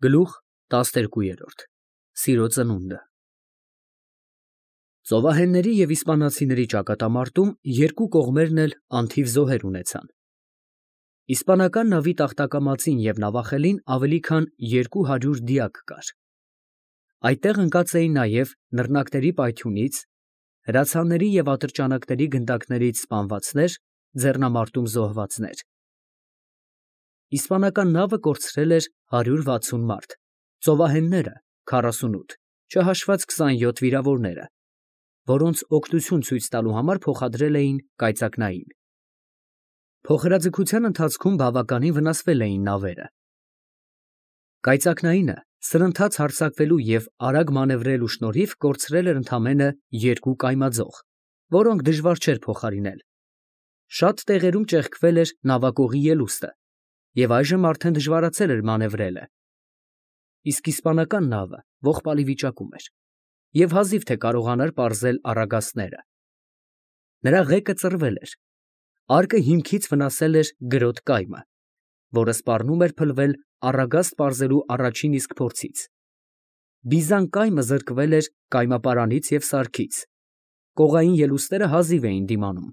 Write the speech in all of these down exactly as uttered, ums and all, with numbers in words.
Գլուխ տասներկու։ Սիրո ծնունդը։ Ծովահենների և իսպանացիների ճակատամարտում երկու կողմերն էլ անթիվ զոհեր ունեցան։ Իսպանական նավի տախտակամածին և նավախելին ավելի քան երկու հարյուր դիակ կար։ Այդտեղ ընկած էին նաև նռնակների պայթյունից, հրացանների և ատրճանակների գնդակներից սպանվածներ, ձեռնամարտում զոհվածներ։ Իսպանական նավը կորցրել էր հարյուր վաթսուն մարդ, ծովահենները՝ քառասունութ, չհաշված քսանյոթ վիրավորները, որոնց օգնություն ցույց տալու համար փոխադրել էին կայծակնային։ Փոխհրաձգության ընթացքում բավականին վնասվել էին նավերը։ Կայծակնայինը սրընթաց հարձակվելու և արագ մանևրելու շնորհիվ կորցրել էր ընդամենը երկու կայմաձող, որոնք դժվար չէր փոխարինել։ Շատ տեղերում ճեղքվել էր նավակողի ելուստը, և այժմ արդեն դժվարացել էր մանևրելը։ Իսկ իսպանական նավը ողբալի վիճակում էր և հազիվ թե կարողանար պարզել առագաստները։ Նրա ղեկը ծռվել էր, արկը հիմքից վնասել էր գրոտ կայմը, որը սպառնում էր փլվել առագաստ պարզելու առաջին իսկ փորձից։ Բիզան կայմը զրկվել էր կայմապարանից և սարքից, կողային ելուստները հազիվ էին դիմանում։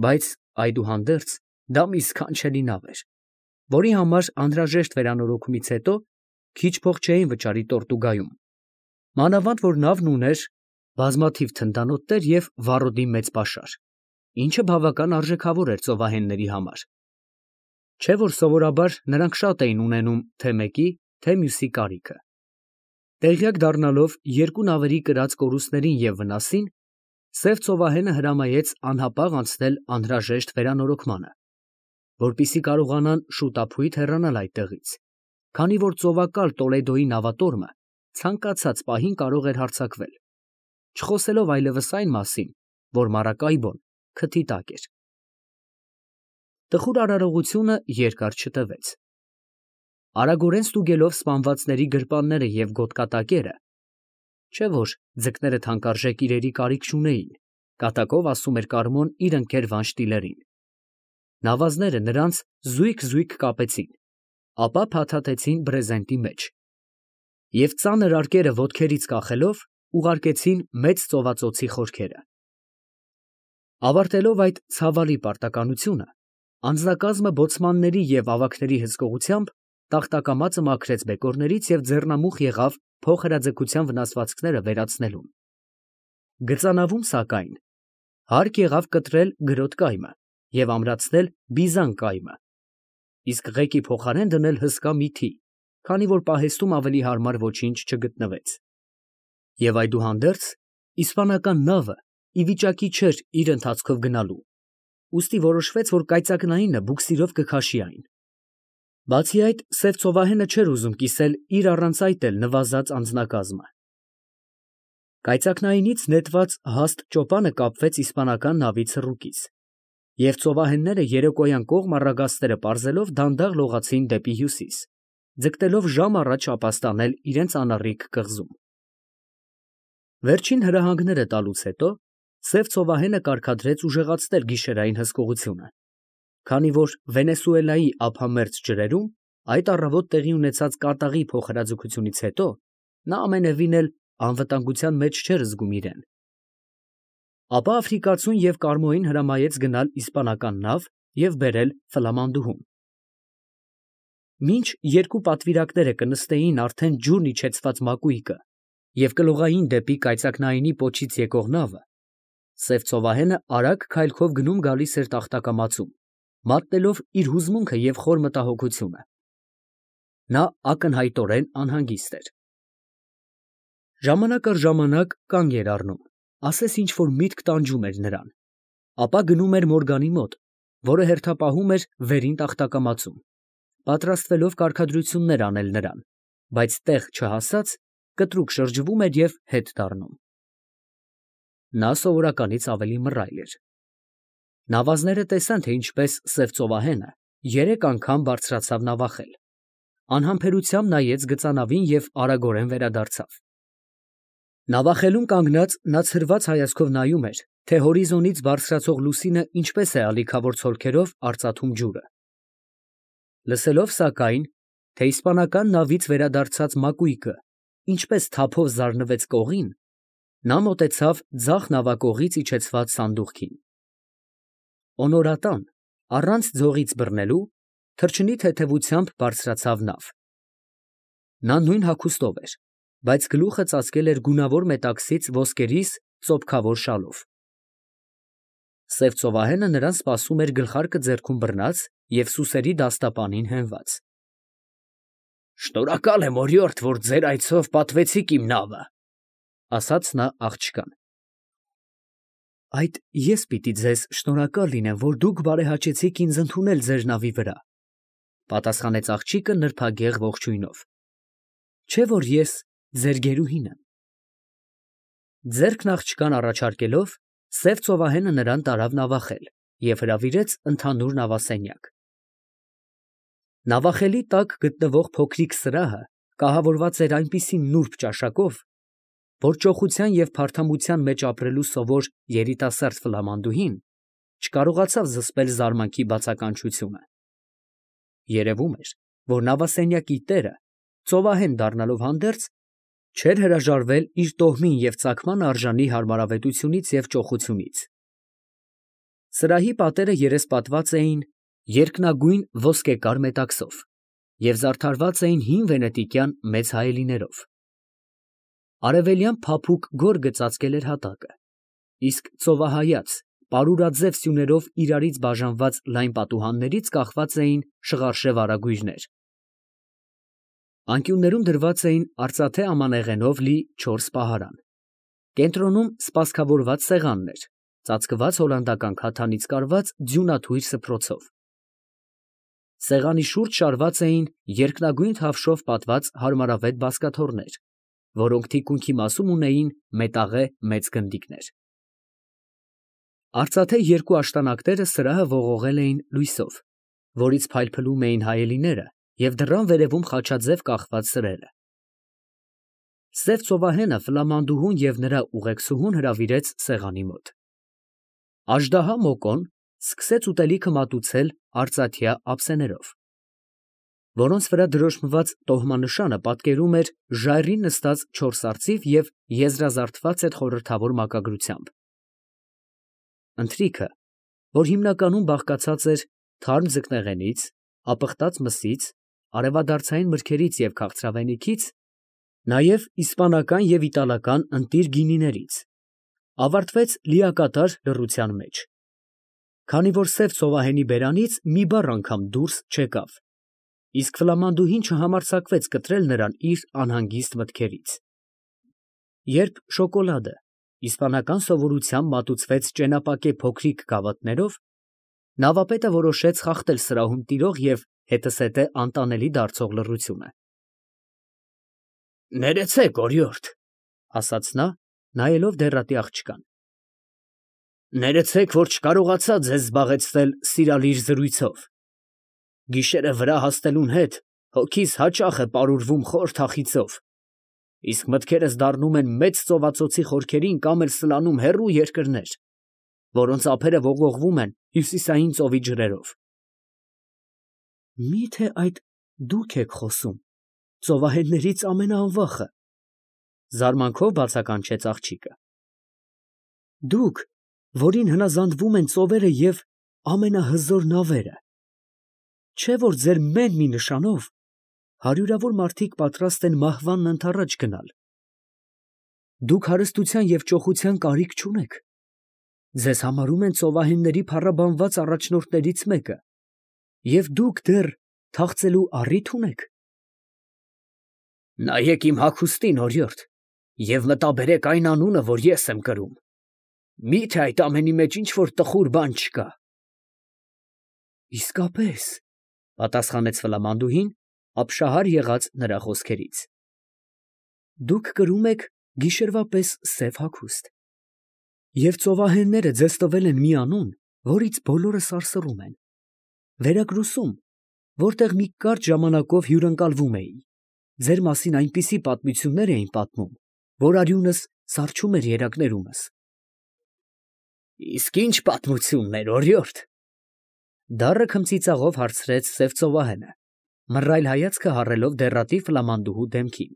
Բայց այդուհանդերձ դա մի սքանչելի նավ էր, որի համար անհրաժեշտ վերանորոգումից հետո քիչ փող չէին վճարի Տորտուգայում, մանավանդ որ նավն ուներ բազմաթիվ թնդանոթներ և վառոդի մեծ պաշար, ինչը բավական արժեքավոր էր ծովահենների համար, չէ որ սովորաբար նրանք շատ էին ունենում թե մեկի, թե մյուսի կարիքը։ Տեղյակ դառնալով երկու նավերի կրած կորուստներին և վնասին, սև ծովահենը հրամայեց անհապաղ անցնել անհրաժեշտ վերանորոգմանը, որպեսզի կարողանան շուտափույթ հեռանալ այդտեղից, քանի որ ծովակալ Տոլեդոյի նավատորմը ցանկացած պահին կարող էր հարձակվել, չխոսելով այլևս այն մասին, որ Մարակայբոն քթի տակ էր։ Տխուր արարողությունը երկար չտևեց։ Արագորեն ստուգելով սպանվածների գրպանները և գոտկատակերը, չէ որ ձկները թանկարժեք իրերի կարիք չունեին, կատակով ասում էր Կարմոն իր ընկեր Վանշտիլերին, նավազները նրանց զույգ֊զույգ կապեցին, ապա փաթաթեցին բրեզենտի մեջ և ծանր արկերը ոտքերից կախելով ուղարկեցին մեծ ծովածոցի խորքերը։ Ավարտելով այդ ցավալի պարտականությունը, անձնակազմը բոցմանների և ավագների հսկողությամբ տախտակամածը մաքրեց բեկորներից և ձեռնամուխ եղավ փոխհրաձգության վնասվածքները վերացնելուն։ Գծանավում, սակայն, հարկ եղավ կտրել գրոտ կայմը և ամրացնել բիզան կայմը, իսկ ղեկի փոխարեն դնել հսկա մի թի, քանի որ պահեստում ավելի հարմար ոչինչ չգտնվեց։ Եվ այդուհանդերձ իսպանական նավը ի վիճակի չէր իր ընթացքով գնալու, ուստի որոշվեց, որ կայծակնայինը բուկսիրով կքաշի այն։ Բացի այդ, սև ծովահենը չէր ուզում կիսել իր առանց այդ էլ նվազած անձնակազմը։ Կայծակնայինից նետված հաստ ճոպանը կապվեց իսպանական նավի ցռուկից, և ծովահենները երեկոյան կողմ առագաստերը պարզելով դանդաղ լողացին դեպի հյուսիս, ձգտելով ժամ առաջ ապաստանել իրենց անառիկ կղզում։ Վերջին հրահանգները տալուց հետո սև ծովահենը կարգադրեց ուժեղացնել գիշերային հսկողությունը, քանի որ Վենեսուելայի ափամերձ ջրերում այդ առավոտ տեղի ունեցած կատաղի փոխհրաձգությունից հետո նա ամենևին էլ անվտանգության մեջ չէր զգում իրեն։ Ապա Աֆրիկացուն և Կարմոյին հրամայեց գնալ իսպանական նավ և բերել Ֆլամանդուհում։ Մինչ երկու պատվիրակները կնստեին արդեն ջուրն իջեցված մակույկը և կլողային դեպի կայծակնայինի պոչից եկող նավը, սև ծովահենը արագ քայլքով գնում գալիս էր տախտակամածում, մատնելով իր հուզմունքը և խոր մտահոգությունը։ Նա ակնհայտորեն անհանգիստ էր։ Ժամանակ առ ժամանակ կանգ էր առնում, ասես ինչ֊որ միտք տանջում էր նրան, ապա գնում էր Մորգանի մոտ, որը հերթապահում էր վերին տախտակամածում, պատրաստվելով կարգադրություններ անել նրան, բայց տեղ չհասած, կտրուկ շրջվում էր և հետ դառնում։ Նա սովորականից ավելի մռայլ էր։ Նավազները տեսան, թե ինչպես սև ծովահենը երեք անգամ բարձրացավ նավախել, անհամբերությամբ նայեց գծանավին և արագորեն վերադարձավ։ Նավախելում կանգնած նա ցրված հայացքով նայում էր, թե հորիզոնից բարձրացող լուսինը ինչպես է ալիքավոր ցոլքերով արծաթում ջուրը։ Լսելով, սակայն, թե իսպանական նավից վերադարձած մակույկը ինչպես թափով զարնվեց կողին, նա մոտեցավ ձախ նավակողից իջեցված սանդուղքին։ Օնորատան, առանց ձողից բռնելու, թռչնի թեթևությամբ բարձրացավ նավ։ Նա նույն հագուստով էր, բայց գլուխը ծածկել էր գունավոր մետաքսից ոսկերիս ծոփքավոր շալով։ Սև ծովահենը նրան սպասում էր գլխարկը ձեռքում բռնած և սուսերի դաստապանին հենված։ «Շնորհակալ եմ, օրիորդ, որ ձեր այցով պատվեցիք իմ նավը, ֊ ասաց նա աղջկան։ ֊ Այդ ես պիտի ձեզ շնորհակալ լինեմ, որ դուք բարեհաճեցիք ինձ ընդունել ձեր նավի վրա, ֊ պատասխանեց աղջիկը նրբագեղ ողջույնով, ֊ չէ՞ որ ես ձեր գերուհին եմ։ Ձեռքն աղջկան առաջարկելով, սև ծովահենը նրան տարավ նավախել և հրավիրեց ընդհանուր նավասենյակ։ Նավախելի տակ գտնվող փոքրիկ սրահը կահավորված էր այնպիսի նուրբ ճաշակով, որ ճոխության և փարթամության մեջ ապրելու սովոր երիտասարդ ֆլամանդուհին չկարողացավ զսպել զարմանքի բացականչությունը։ Երևում էր, որ նավասենյակի տերը, ծովահեն դառնալով հանդերձ, չէր հրաժարվել իր տոհմին և ծագման արժանի հարմարավետությունից և ճոխությունից։ Սրահի պատերը երեսպատված էին երկնագույն ոսկեկար մետաքսով և զարդարված էին հին վենետիկյան մեծ հայելիներով։ Արևելյան փափուկ գորգը ծածկել էր հատակը, իսկ ծովահայաց, պարուրաձև սյուներով իրարից բաժանված լայն պատուհաններից կախված էին շղարշև արագույրներ։ Անկյուններում դրված էին արծաթե ամանեղենով լի չորս պահարան։ Կենտրոնում սպասքավորված սեղանն էր, ծածկված հոլանդական քաթանից կարված ձյունաթույր սփռոցով։ Սեղանի շուրջ շարված էին երկնագույն թավշով պատված հարմարավետ բազկաթոռներ, որոնք թիկունքի մասում ունեին մետաղե մեծ գնդիկներ։ Արծաթե երկու աշտանակները սրահը ողողել էին լույսով, որից փայլփլում էին հայելիները և դռան վերևում խաչաձև կախված սրերը։ Սև ծովահենը ֆլամանդուհուն և նրա ուղեկցուհուն հրավիրեց սեղանի մոտ։Աժդահա Մոկոն սկսեց ուտելիքը մատուցել արծաթյա ափսեներով, որոնց վրա դրոշմված տոհմանշանը պատկերում էր ժայռին նստած չորս արծիվ և եզրազարդված էր խորհրդավոր մակագրությամբ։ Ընթրիքը, որ հիմնականում բաղկացած էր թարմ ձկնեղենից, ապխտած մսից, արևադարձային մրգերից և քաղցրավենիքից, նաև իսպանական և իտալական ընտիր գինիներից, ավարտվեց լիակատար լռության մեջ, քանի որ սև ծովահենի բերանից մի բառ անգամ դուրս չեկավ, իսկ ֆլամանդուհին չհամարձակվեց կտրել նրան իր անհանգիստ մտքերից։ Երբ շոկոլադը իսպանական սովորությամբ մատուցվեց ճենապակե փոքրիկ գավաթներով, նավապետը որոշեց խախտել սրահում տիրող և հետզհետե անտանելի դարձող լռությունը։ ֊ Ներեցեք, օրիորդ, ֊ ասաց նա, նայելով դեռատի աղջկան։ ֊ Ներեցեք, որ չկարողացա ձեզ զբաղեցնել սիրալիր զրույցով։ Գիշերը վրա հասնելուն հետ հոգիս հաճախ է պարուրվում խոր թախիծով, իսկ մտքերս դառնում են մեծ ծովածոցի խորքերին կամ էլ սլանում հեռու երկրներ, որոնց ափերը ողողվում են հյուսիսային ծովի ջրերով։ ֊ Մի՞թե այդ դուք եք խոսում, ծովահեններից ամենաանվախը, ֊ զարմանքով բացականչեց աղջիկը։ ֊ Դուք, որին հնազանդվում են ծովերը և ամենահզոր նավերը, չէ՞ որ ձեր մեն մի նշանով հարյուրավոր մարդիկ պատրաստ են մահվանն ընդառաջ գնալ։ Դուք հարստության և ճոխության կարիք չունեք, ձեզ համարում են ծովահենների փառաբանված առաջնորդներից մեկը, և դուք դեռ թախծելու առի՞թ ունեք։ ֊ Նայեք իմ հագուստին, օրիորդ, և մտաբերեք այն անունը, որ ես եմ կրում. մի՞թե այդ ամենի մեջ ինչ֊որ տխուր բան չկա։ ֊ Իսկապես, ֊ պատասխանեց ֆլամանդուհին, ապշահար եղած նրա խոսքերից, ֊ դուք կրում եք գիշերվա պես սև հագուստ, և ծովահենները ձեզ տվել են մի անուն, որից բոլորը սարսռում են, վերագրուսում, որտեղ մի կարճ ժամանակով հյուրընկալվում էի, ձեր մասին այնպիսի պատմություններ էին պատմում, որ արյունս սառչում էր երակներումս։ ֊ Իսկ ի՞նչ պատմություններ, օրիորդ, ֊ դառը քմծիծաղով հարցրեց սև ծովահենը, մռայլ հայացքը հառելով դեռատի ֆլամանդուհու դեմքին,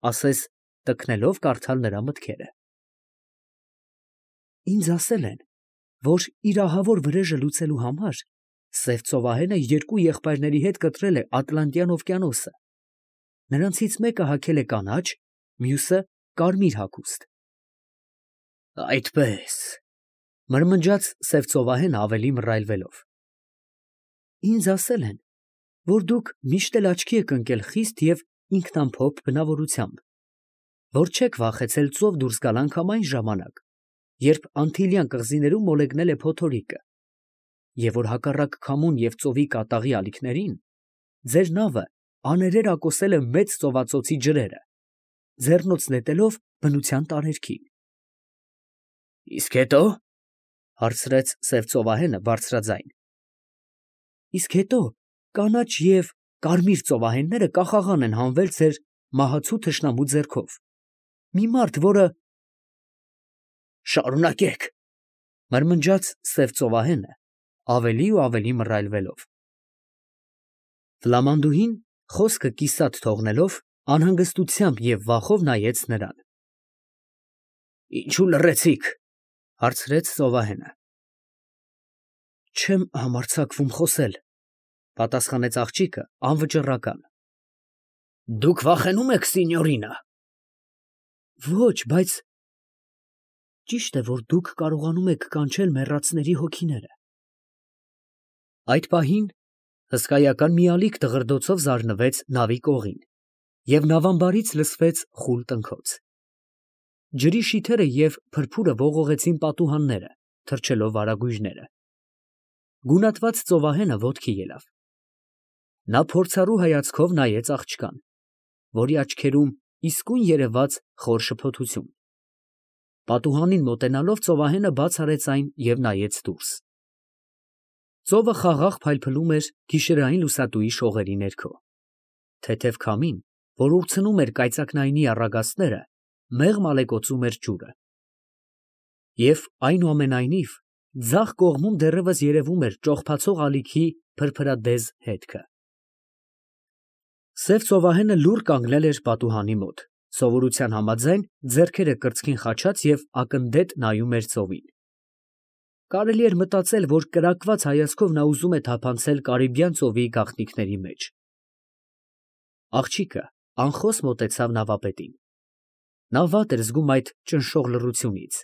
ասես տքնելով կարդալ նրա մտքերը։ Ինձ ասել են, որ իր ահավոր վրեժը լուծելու համար Սև ծովահենը երկու եղբայրների հետ կտրել է Ատլանտյան օվկիանոսը։ Նրանցից մեկը հագել է կանաչ, մյուսը կարմիր հագուստ։ Այդպես, մրմնջաց Սև ծովահենը ավելի մռայլվելով։ Ինձ ասել են, որ դուք միշտ էլ աչքի եք ընկել խիստ և ինքնամփոփ բնավորությամբ, որ չեք վախեցել ծով դուրս գալ անգամ այն ժամանակ, երբ Անտիլյան կղզիներում մոլեգնել է փոթորիկը, և որ հակառակ քամուն և ծովի կատաղի ալիքներին, ձեր նավը աներեր ակոսել է մեծ ծովածոցի ջրերը, ձեռնոց նետելով բնության տարերքին։ Իսկ հետո, հարցրեց Սև ծովահենը բարձրաձայն։ Իսկ հետո կանաչ և կարմիր ծովահենները կախաղան են հանվել ձեր մահացու թշնամու ձեռքով։ Մի մարդ, որը… Շարունակեք, մրմնջաց Սև ծովահենը, ավելի ու ավելի մռայլվելով։ Ֆլամանդուհին, խոսքը կիսատ թողնելով, անհանգստությամբ և վախով նայեց նրան։ Ինչու լռեցիք, հարցրեց ծովահենը։ Չեմ համարձակվում խոսել, պատասխանեց աղջիկը անվճռական։ Դուք վախենում եք, սինյորինա։ Ոչ, բայց… Ճիշտ է, որ դուք կարողանում եք կանչել մեռածների հոգիները։ Այդ պահին հսկայական մի ալիք դղրդոցով զարնվեց նավի կողին, և նավամբարից լսվեց խուլ տնքոց։ Ջրի շիթերը և փրփուրը ողողեցին պատուհանները, թռչելով վարագույրները։ Գունատված ծովահենը ոտքի ելավ։ Նա փորձառու հայացքով նայեց աղջկան, որի աչքերում իսկույն երևաց խոր շփոթություն։ Պատուհանին մոտենալով ծովահենը բաց արեց այն և նայեց դուրս։ Ծովը խաղաղ փայլփլում էր գիշերային լուսատուի շողերի ներքո։ Թեթև քամին, որ ուռցնում էր կայծակնայինի առագաստները, մեղմ ալեկոծում էր ջուրը։ Եվ այնուամենայնիվ, ձախ կողմում դեռևս երևում էր ճողփացող ալիքի փրփրադեզ հետքը։ Սև ծովահենը լուռ կանգնել էր պատուհանի մոտ, սովորության համաձայն ձեռքերը կրծքին խաչած և ակնդետ նայում էր ծովին։ Կարելի էր մտածել, որ կրակված հայացքով նա ուզում է թափանցել Կարիբյան ծովի գաղտնիքների մեջ։ Աղջիկը անխոս մոտեցավ նավապետին։ Նա վատ էր զգում այդ ճնշող լռությունից։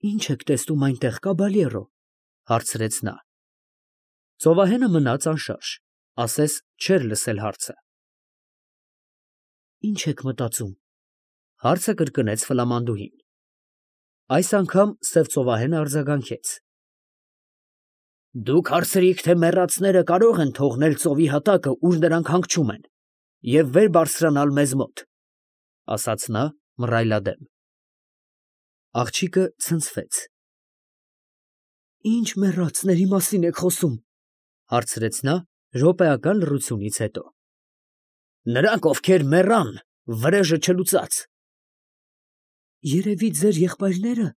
Ի՞նչ եք տեսնում այնտեղ, կաբալյերո, հարցրեց նա։ Ծովահենը մնաց անշարժ, ասես չէր լսել հարցը։ Ի՞նչ եք մտածում, հարցը կրկնեց ֆլամանդուհին։ Այս անգամ Սև ծովահենը արձագանքեց։ Դուք հարցրիք, թե մեռածները կարող են թողնել ծովի հատակը, ուր նրանք հանգչում են, և վեր բարձրանալ մեզ մոտ, ասաց նա մռայլադեմ։ Աղջիկը ցնցվեց։ Ի՞նչ մեռածների մասին եք խոսում, հարցրեց նա րոպեական լռությունից հետո։ Նրանք, ովքեր մեռան, վրեժը չլուծած։ Երևի ձեր եղբայրնե՞րը։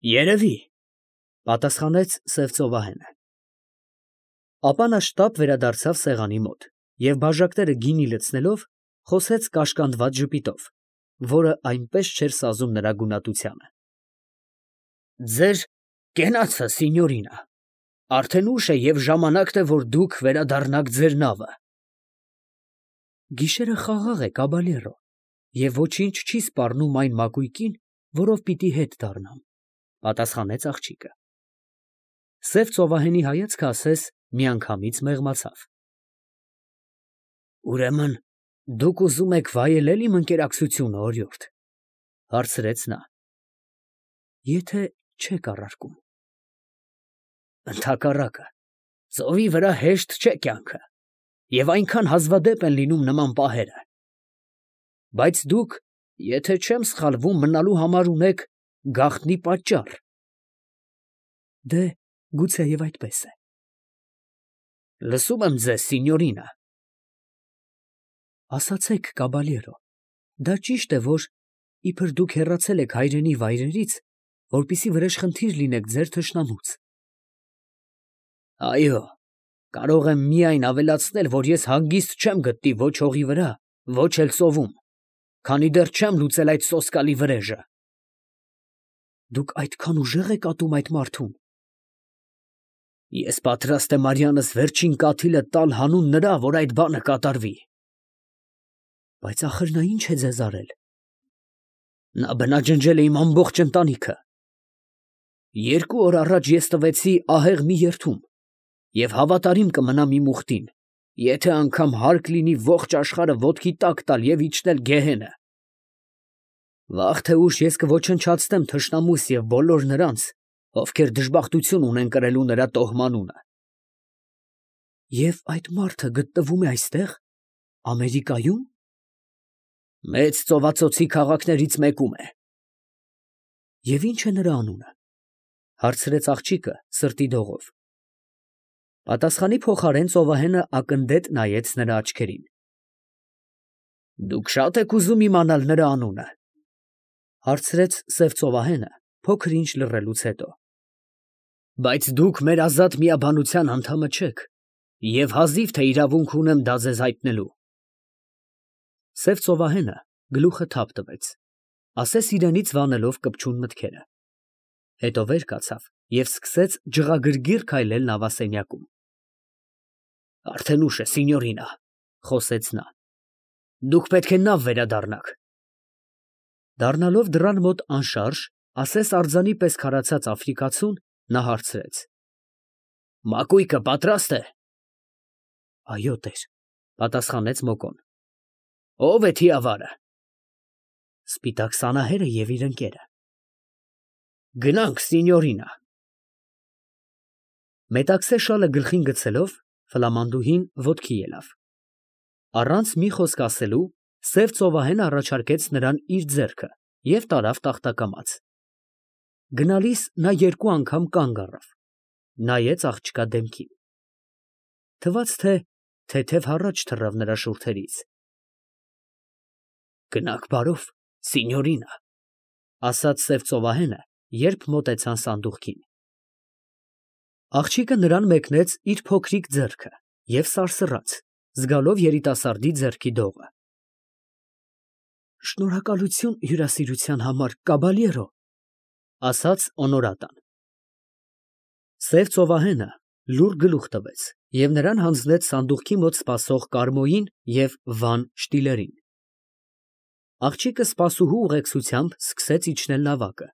Երևի, պատասխանեց Սև ծովահենը։ Ապա նա շտապ վերադարձավ սեղանի մոտ և բաժակները գինի լցնելով, խոսեց կաշկանդված ժպիտով, որը այնպես չէր սազում նրա գունատությանը։ Ձեր կենացը, սինյորինա, արդեն ուշ է և ժամանակն է, որ դուք վերադառնաք ձեր նավը։ Գիշերը խաղաղ է, կաբալյերո, և ոչինչ չի սպառնում այն մակույկին, որով պիտի հետ դառնամ, պատասխանեց աղջիկը։ Սև ծովահենի հայացքը ասես միանգամից մեղմացավ։ Ուրեմն դուք ուզում եք վայելել իմ ընկերակցությունը, օրիորդ, հարցրեց նա։ Եթե չեք առարկում։ Ընդհակառակը, ծովի վրա հեշտ չէ կյանքը, և այնքան հազվադեպ են լինում նման պահերը։ Բայց դուք, եթե չեմ սխալվում, մնալու համար ունեք գաղտնի պատճառ։ Դե, գուցեև այդպես է։ Լսում եմ ձեզ, սինյորինա։ Ասացեք, կաբալյերո, դա ճիշտ է, որ իբր դուք հեռացել եք հայրենի վայրերից, որպեսզի վրեժխնդիր լինեք ձեր թշնամուց։ Այո, Կարող եմ միայն ավելացնել, որ ես հանգիստ չեմ գտնի ոչ հողի վրա, ոչ էլ ծովում, քանի դեռ չեմ լուծել այդ սոսկալի վրեժը։ Դուք այդքան ուժեղ եք ատում այդ մարդուն։ Ես պատրաստ եմ արյանս վերջին կաթիլը տալ հանուն նրա, որ այդ բանը կատարվի։ Բայց ախր նա ինչ է ձեզ արել։ Նա բնաջնջել է իմ ամբողջ ընտանիքը։ Երկու օր առաջ ես տվեցի ահեղ մի երդում և հավատարիմ կմնամ իմ ուխտին, եթե անգամ հարկ լինի ողջ աշխարհը ոտքի տակ տալ և իջնել գեհենը։ Վաղ թե ուշ ես կոչնչացնեմ թշնամուս և բոլոր նրանց, ովքեր դժբախտություն ունեն կրելու նրա տոհմանունը։ Եվ այդ մարդը գտնվում է այստեղ, Ամերիկայում։ Մեծ ծովածոցի քաղաքներից մեկում է։ Եվ ի՞նչ է նրա անունը, հարցրեց աղջիկը սրտի դողով։ Պատասխանի փոխարեն ծովահենը ակնդետ նայեց նրա աչքերին։ Դուք շատ եք ուզում իմանալ նրա անունը, հարցրեց սև ծովահենը փոքր ինչ լռելուց հետո։ Բայց դուք մեր ազատ միաբանության անդամը չեք, և հազիվ թե իրավունք ունեմ դա ձեզ հայտնելու։ Սև ծովահենը գլուխը թափ տվեց, ասես իրենից վանելով կպչուն մտքերը։ Հետո վեր կացավ և սկսեց ջղագրգիռ քայլել նավասենյակում։ Արդեն ուշ է, սինյորինա, խոսեց նա։ Դուք պետք է նավ վերադառնաք։ Դառնալով դռան մոտ անշարժ, ասես արձանի պես քարացած աֆրիկացուն, նա հարցրեց. Մակույկը պատրաստ է։ Այո, տեր, պատասխանեց Մոկոն։ Ո՞վ է թիավարը։ Սպիտակ սանահերը և իր ընկերը։ Գնանք, սինյորինա։ Մետաքսե շալը գլխին գցելով, ֆլամանդուհին ոտքի ելավ։ Առանց մի խոսք ասելու, սև ծովահենը առաջարկեց նրան իր ձեռքը և տարավ տախտակամաց։ Գնալիս նա երկու անգամ կանգ առավ, նայեց աղջկա դեմքին։ Թվաց, թե թեթև հառաչ թռավ նրա շուրթերից։ Գնաք բարով, սինյորինա, ասաց սև ծովահենը, երբ մոտեցան սանդուղքին։ Աղջիկը նրան մեկնեց իր փոքրիկ ձեռքը և սարսռաց, զգալով երիտասարդի ձեռքի դողը։ Շնորհակալություն հյուրասիրության համար, կաբալյերո, ասաց Օնորատան։ Սև ծովահենը լուռ գլուխ տվեց և նրան հանձնեց սանդուղքի մոտ սպասող Կարմոյին և Վան Շտիլերին։ Աղջիկը սպասուհու ուղեկցությամբ սկսեց իջնել նավակը,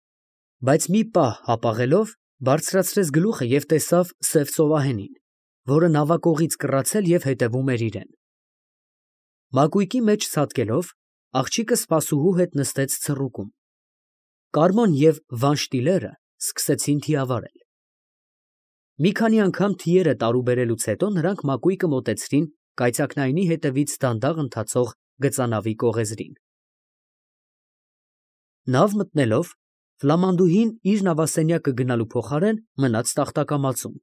բայց մի պահ հապաղելով բարձրացրեց գլուխը և տեսավ սև ծովահենին, որը նավակողից կռացել և հետևում էր իրեն։ Մակույկի մեջ ցատկելով, աղջիկը սպասուհու հետ նստեց ցռուկում։ Կարմոն և Վան Շտիլերը սկսեցին թիավարել։ Մի քանի անգամ թիերը տարուբերելուց հետո նրանք մակույկը մոտեցրին կայծակնայինի հետևից դանդաղ ընթացող գծանավի կողեզրին։ Նավ մտնելով, ֆլամանդուհին իր նավասենյակը գնալու փոխարեն մնաց տախտակամածում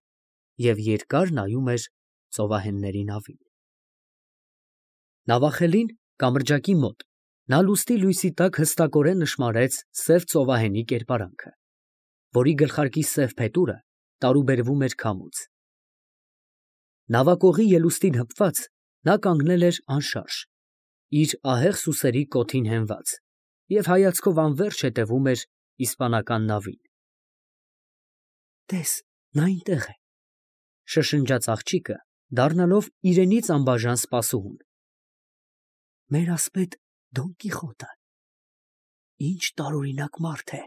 և երկար նայում էր ծովահենների նավին։ Նավախելին, կամրջակի մոտ, նա լուսնի լույսի տակ հստակորեն նշմարեց սև ծովահենի կերպարանքը, որի գլխարկի սև փետուրը տարուբերվում էր քամուց։ Նավակողի ելուստին հպված, նա կանգնել էր անշարժ, իր ահեղ սուսերի կոթին հենված, և հայացքով անվերջ հետևում էր իսպանական նավին։ Տես, նա այնտեղ է, շշնջաց աղջիկը, դառնալով իրենից անբաժան սպասուհուն։ Մեր ասպետ Դոն Կիխոտը, ինչ տարօրինակ մարդ է։